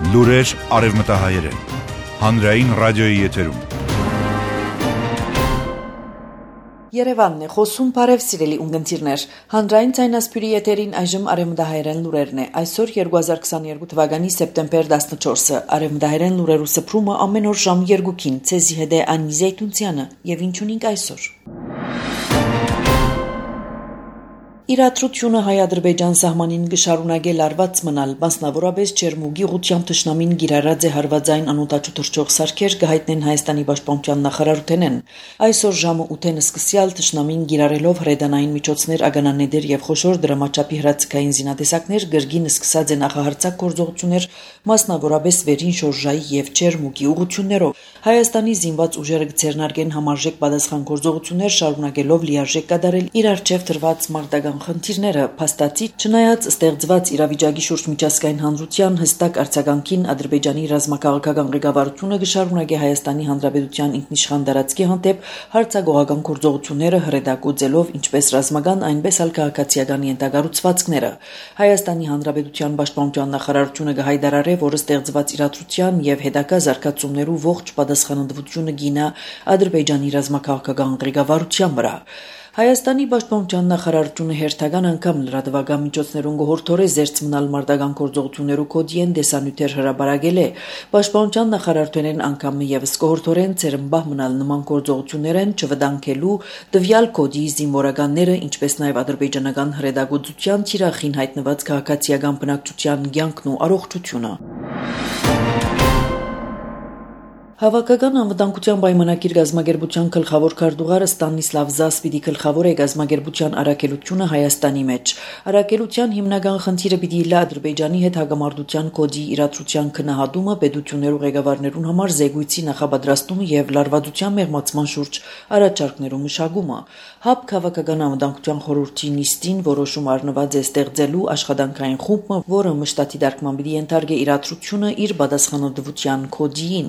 Լուրեր արևմտահայերեն, հանրային ռադիոյի եթերում։ Երևանն է խոսում, բարև սիրելի ունգընտիրներ, հանրային ցայնասպյուրի եթերին այժմ արևմտահայերեն լուրերն է, այսօր 2022 թվականի սեպտեմբեր 14-ը, արևմտահայերեն լուրերու սփռումը ամեն օր ժամ 2-ին, ցեզի հետ է Անի Զեյթունցյանը, եւ ինչ ունենք այսօր։ Իրադրությունը հայ-ադրբեջան սահմանին գշարունակե լարված մնալ, մասնավորապես Չերմուգի ուղղությամբ թշնամին գիրառած է հարվածային անօդաչու թռչող սարքեր կհայտնեն Հայաստանի պաշտպանության նախարարութենեն։ Այսօր ժամը 8-ին սկսյալ թշնամին գիրառելով հրետանային միջոցներ, ագանանեդեր եւ խոշոր դրամաչափի հրացքային զինատեսակներ գրգին սկսած է նախահարցակ գործողություններ, մասնավորապես Վերին Շորժայի եւ Չերմուգի ուղղություններով։ Հայաստանի զինված ուժերը կձեռնարկեն համարժեք պատասխան գործողություններ, շարունակելով լիարժեք կատարել իր առջև դրված մարտական խնդիրները, փաստացի չնայած ստեղծված իրավիճակի շուրջ միջազգային հանրության հստակ արձագանքին Ադրբեջանի ռազմաքաղաքական ղեկավարությունը կշարունակի Հայաստանի Հանրապետության ինքնիշխան տարածքի հանդեպ հարձակողական գործողությունները հրետակոծելով ինչպես ռազմական, այնպես էլ քաղաքացիական ենթակառուցվածքները։ Հայաստանի Հանրապետության պաշտպանության նախարարությունը կհայտարարե, որ ստեղծված իրադրության եւ հետագա զարգացումներու ողջ պատասխանատվությունը գինա Ադրբեջանի ռազմաքաղաքական ղեկավարության վրա։ Հայաստանի պաշտպանության նախարարությունը հերթական անգամ լրատվական միջոցներուն գողորթորե զերծ մնալ մարտական գործողություններու կոդիեն դեսանյութեր հրաբարագել է։ Պաշտպանության նախարարությունեն անգամ եւս գողորթորեն ծերմբահ մնալ նման գործողություններեն չվտանգելու տվյալ կոդի զինվորականները, ինչպես նաեւ ադրբեջանական հրետակոծության թիրախին հայտնված քաղաքացիական բնակչության կյանքն ու առողջությունը։ Հավաքական անվտանգության պայմանագիր գազագերբության գլխավոր քարտուղարը Ստանիսլավ Զասպիդի գլխավոր է գազագերբության առաքելությունը Հայաստանի մեջ։ Առաքելության հիմնական խնդիրը պիտի լա Ադրբեջանի հետ հագամարտության կոդի իրադրության քննադատումը, պետություններու ղեկավարներուն համար զեկույցի նախապատրաստումը եւ լարվածության մեղմացման շուրջ առաջարկներու մշակումը։ ՀԱՊԿ Հավաքական անվտանգության խորհրդի նիստին որոշում առնված է ստեղծելու աշխատանքային խումբ, որը մշտադի դարկման պիտի ենթարկե իրադրությունը իր պատասխանատվության կոդին։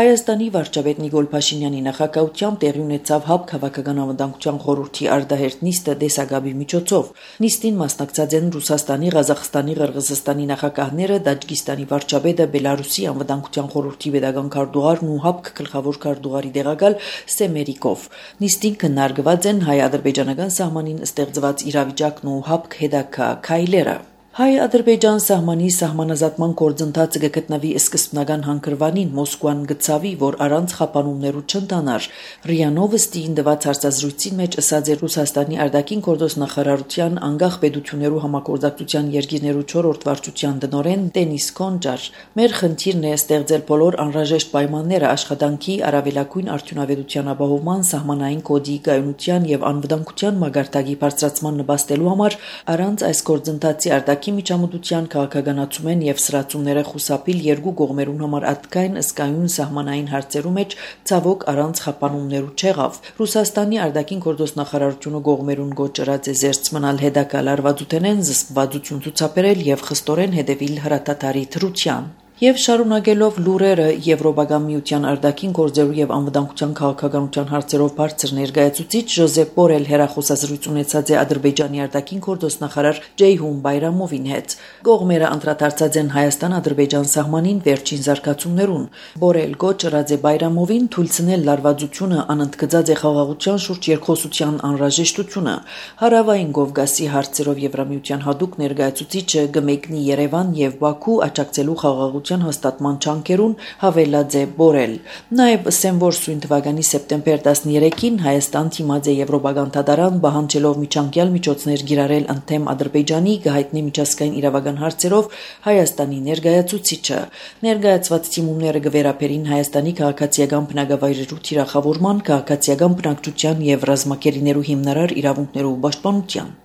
Հայաստանի վարչապետ Նիկոլ Փաշինյանի նախագահությամբ տեղի ունեցավ ՀԱՊԿ Հավաքական անվտանգության խորհրդի արտահերթ նիստը դեսագաբի միջոցով։ Նիստին մասնակցած են Ռուսաստանի, Ղազախստանի, Ղրղզստանի նախագահները, Տաջիկստանի վարչապետը, Բելարուսի անվտանգության խորհրդի պետական քարտուղարն ու ՀԱՊԿ գլխավոր քարտուղարի տեղակալ Սեմերիկով։ Նիստին քննարկված են հայ-ադրբեջանական սահմանին ստեղծված իրավիճակն ու ՀԱՊԿ հետագա քայլերը։ Հայ-ադրբեջան սահմանի սահմանազատման գործընթացը կգտնվի սկզբնական հանգրվանին Մոսկվան գծավի, որ առանց խափանումներու չընտանար։ ՌԻԱ Նովոստիին տված հարցազրույցի մեջ ասաց է Ռուսաստանի արտաքին գործոս նախարարության անկախ պետություններու համագործակցության երկիրներու 4-րդ վարչության տնօրեն Դենիս Կոնջար։ Մեր խնդիրն է ստեղծել բոլոր անհրաժեշտ պայմանները աշխատանքի, առավելագույն արդյունավետության ապահովման, սահմանային կոդի կայունության եւ անվտանգության մագարտակի բարձրացման նպաստելու համար, առանց այս գործընթացի միջամտության քաղաքականացումեն եւ սրացումները խուսափիլ երկու կողմերուն համար ատկային ըսկայուն սահմանային հարցերու մեջ ցավոք առանց խափանումներու չեղավ։ Ռուսաստանի արտաքին գործոս նախարարությունը կողմերուն գոչրած է զերծ մնալ հետագա լարվածութենեն զսպվածություն ցուցաբերել եւ խստորեն հետևիլ հրատատարի դրության։ Եվ շարունակելով լուրերը Եվրոպական միության արտաքին գործերու եւ անվտանգության քաղաքականության հարցերով բարձր ներկայացուցիչ Ժոզեփ Բորել հերախոսազրույց ունեցած է Ադրբեջանի արտաքին գործոս նախարար Ջեյհուն Բայրամովին հետ։ Կողմերը անդրադարձած են Հայաստան-Ադրբեջան սահմանին վերջին զարգացումներուն։ Բորել գոչրած է Բայրամովին թույլտնել լարվածությունը, անընդգծած է խաղաղության շուրջ երկխոսության անհրաժեշտությունը։ Հարավային Կովկասի հարցերով Եվրամիության հատուկ ներկայացուցիչը կմեկնի Երևան եւ Բաքու աջակցելու խաղաղության հաստատման չանկերուն հավելած է Բորել։ Նաև ասեմ, որ սույն թվականի սեպտեմբեր 13-ին Հայաստան թիմած է Եվրոպական դատարան պահանջելով միջանկյալ միջոցներ գիրառել ընդդեմ Ադրբեջանի գահիտնի միջազգային իրավական հարցերով Հայաստանի ներկայացուցիչը։ Ներկայացված թիմումները կվերապերին Հայաստանի քաղաքացիական բնակավայրերու թիրախավորման, քաղաքացիական բնակչության եւ ռազմակերիներու հիմնարար իրավունքներու պաշտպանության։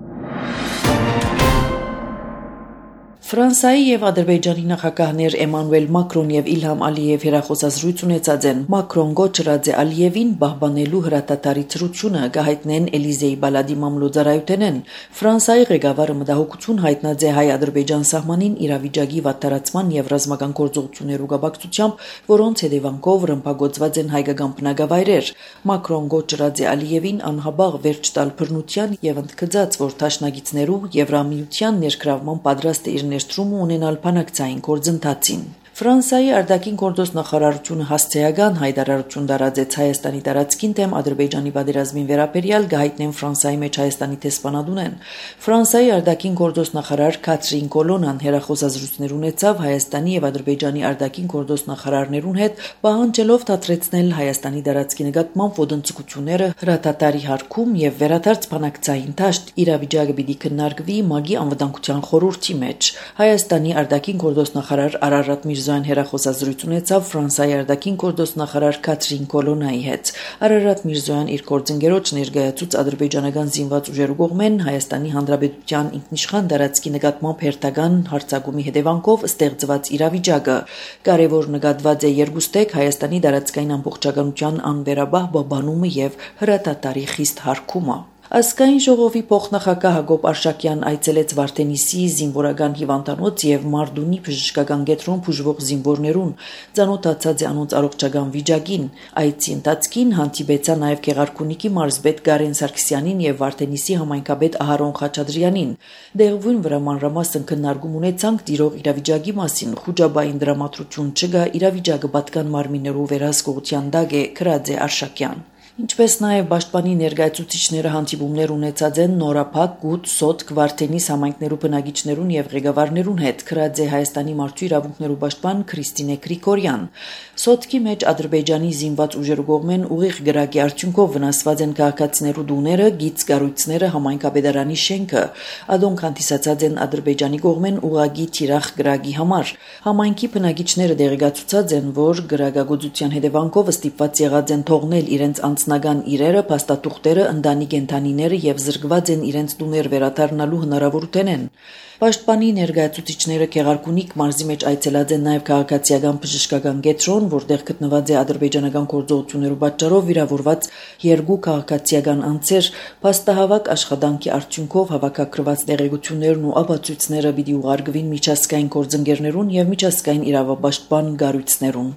Ֆրանսիայի եւ Ադրբեջանի նախագահներ Էմանուել Մակրոն եւ Իլհամ Ալիև հերախոսազրույց ունեցած են։ Մակրոն գոչրած է Ալիևին պահպանելու հրատատարի ծրությունը կհայտնեն Էլիզեի բալադի մամլոյցարայութենեն։ Ֆրանսիայի ղեկավարը մտահոգություն հայտնած է հայ-ադրբեջան սահմանին իրավիճակի վատթարացման եւ ռազմական գործողություններու կապակցությամբ, որոնց հետևանքով ռմբակոծված են հայկական բնակավայրեր։ Մակրոն գոչրած է Ալիևին անհաբաղ վերջ տալ բռնության եւ ընդգծած, որ դաշնակիցներու Եվրամիության ներգրավման պատրաստ է իր ներդրումը ունենալ բանակցային գործընթացին։ Ֆրանսիայի արտաքին գործոստ նախարարությունը հասցեական հայտարարություն տարածեց Հայաստանի տարածքին դեմ Ադրբեջանի պատերազմին վերաբերյալ գահիտնեն Ֆրանսիայի մեջ Հայաստանի տեսփանադունեն։ Ֆրանսիայի արտաքին գործոստ նախարար Քաթրին Կոլոնան հերախոսազրույցներ ունեցավ Հայաստանի եւ Ադրբեջանի արտաքին գործոստ նախարարներուն հետ, պահանջելով դադրեցնել Հայաստանի տարածքի նկատմամբ ոտնձգությունները հրատատարի հարկում եւ վերադարձ բանակցային դաշտ իրավիճակը պիտի քննարկվի ՄԱԳ-ի անվտանգության խորհրդի մեջ։ Հայաստանի արտաքին գործոստ նախարար Արարատ Միրզոյան հերախոսազրույց ունեցավ Ֆրանսիայի արտաքին գործոստ նախարար Քաթրին Կոլոնայի հետ։ Արարատ Միրզոյան իր գործընկերոջ ներկայացուց ադրբեջանական զինված ուժերու կողմեն Հայաստանի Հանրապետության ինքնիշխան տարածքի նկատմամբ հերթական հարձակումի հետևանքով ստեղծված իրավիճակը կարևոր նկատված է երկուստեք Հայաստանի տարածքային ամբողջականության անվերաբահ բաբանումը եւ հրատատարի խիստ հարգումը։ Ազգային ժողովի փոխնախագահ Հակոբ Արշակյան այցելեց Վարդենիսի զինվորական հիվանդանոց եւ Մարդունի բժշկական կենտրոն բուժվող զինվորներուն, ծանոթացած է անոնց առողջական վիճակին։ Այցի ընթացքին հանդիպեցա նաեւ Գեղարքունիքի մարզպետ Գարեն Սարգսյանին եւ Վարդենիսի համայնքապետ Ահարոն Խաչատրյանին։ Դեղվուն վրա մանրամասն քննարկում ունեցանք տիրող իրավիճակի մասին, խոճաբային դրամատրություն չկա, իրավիճակը պատկան մարմիններու վերահսկողության տակ է, գրած է Արշակյան։ Ինչպես նաև պաշտպանի ներկայացուցիչները հանդիպումներ ունեցած են Նորափակ, Գուտ, Սոտք, Վարդենիս համայնքներու բնակիչներուն եւ ղեկավարներուն հետ, գրած է Հայաստանի մարդու իրավունքներու պաշտպան Քրիստինե Գրիգորյան։ Սոտքի մեջ Ադրբեջանի զինված ուժերու կողմեն ուղիղ գրակի արդյունքով վնասված են քաղաքացիներու տուները, գիծ կառույցները, համայնքապետարանի շենքը։ Ադոնք հանդիսացած են Ադրբեջանի կողմեն ուղագի թիրախ գրակի համար։ Համայնքի բնակիչները դեղեկացուցած են, որ գրակագործության հետևանքով ստիպված եղած են թողնել իրենց անձնական իրերը, փաստաթուղթերը, ընտանիք ընտանիները եւ զրկված են իրենց տուներ վերադառնալու հնարավորությունեն։ Պաշտպանի ներկայացուցիչները Գեղարքունիք մարզի մեջ այցելած են նաեւ քաղաքացիական բժշկական կենտրոն, որտեղ գտնված է ադրբեջանական գործողություններու պատճառով վիրավորված երկու քաղաքացիական անձեր, փաստահավաք աշխատանքի արդյունքով հավաքագրված տեղեկություններն ու ապացույցները պիտի ուղարկվին միջազգային գործընկերներուն եւ միջազգային իրավապաշտպան կառույցներուն։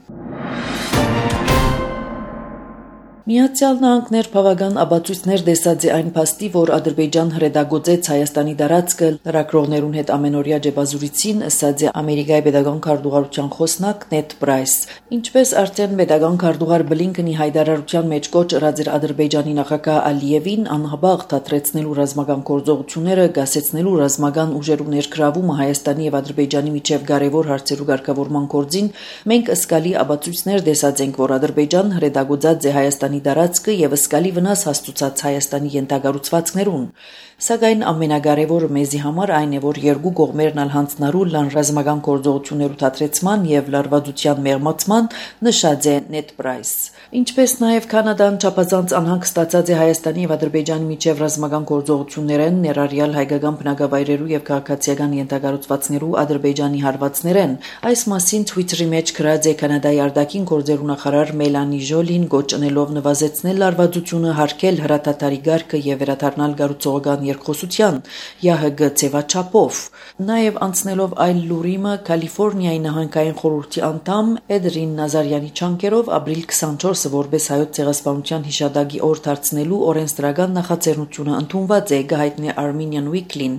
Միացյալ Նահանգներ բավական ապացույցներ տեսած է այն փաստի, որ Ադրբեջան հրետակոծեց Հայաստանի տարածքը լրագրողներուն հետ ամենօրյա ջեբազուրիցին, ըսած է Ամերիկայի պետական քարտուղարության խոսնակ Նեդ Պրայս։ Ինչպես արդեն պետական քարտուղար Բլինքենի հայտարարության մեջ կոչ ըրած էր Ադրբեջանի նախագահ Ալիևին անհաբաղ դադրեցնելու ռազմական գործողությունները, գասեցնելու ռազմական ուժերու ներգրավումը Հայաստանի եւ Ադրբեջանի միջև կարևոր հարցերու ղեկավարման գործին, մենք ըսկալի ապացույցներ տեսած ենք, որ Ադրբեջան հրետակոծած է Հայաստանի տարածքը եւ ըսկալի վնաս հասցուցած Հայաստանի ենթակառուցվածքներուն։ Սակայն ամենակարևորը մեզի համար այն է, որ երկու կողմերն ալ հանձնարու լան ռազմական գործողություններու դադրեցման եւ լարվածության մեղմացման, նշած է Նեդ Պրայս։ Ինչպես նաեւ Կանադան չափազանց անհանգստացած է Հայաստանի եւ Ադրբեջանի միջև ռազմական գործողություններեն, ներառյալ հայկական բնակավայրերու եւ քաղաքացիական ենթակառուցվածքներու Ադրբեջանի հարվածներեն։ Այս մասին Twitter-ի մեջ գրած է Կանադայի արտաքին գործերու նախարար Մելանի Ժոլին, գոչնելով նվազեցնել լարվածությունը, հարգել հրատատարի գարկը եւ վերադառնալ կառուցողական երկխոսության ՀՀԳ ձևաչափով։ Նաեւ անցնելով այլ լուրիմը Կալիֆոռնիայի նահանգային խորհրդի անդամ Էդրին Նազարյանի չանկերով ապրիլ 24-ը որպես հայոց ցեղասպանության հիշատակի օր դարձնելու օրենսդրական նախաձեռնությունը ընդունված է, գահիտնի Armenian Weekly-ն։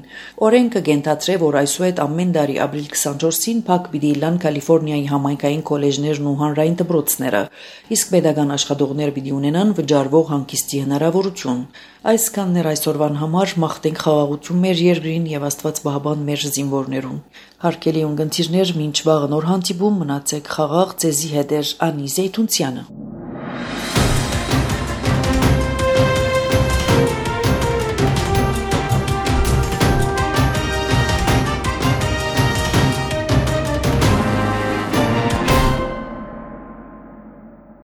Օրենքը կենթադրե, որ այսուհետ ամեն տարի ապրիլ 24-ին փակ պիտի լան Կալիֆոռնիայի համայնքային քոլեջներն ու հանրային դպրոցները, իսկ պետական աշխատողներ պիտի ունենան վճարվող հանգիստի հնարավորություն։ Այսքանն էր այսօրվան համար, մաղթենք խաղաղություն մեր երկրին եւ Աստված պահապան մեր զինվորներուն։ Հարգելի ունկնդիրներ, մինչ վաղը նոր հանդիպում, մնացեք խաղաղ, ձեզի հետ է Անի Զեյթունցյանը։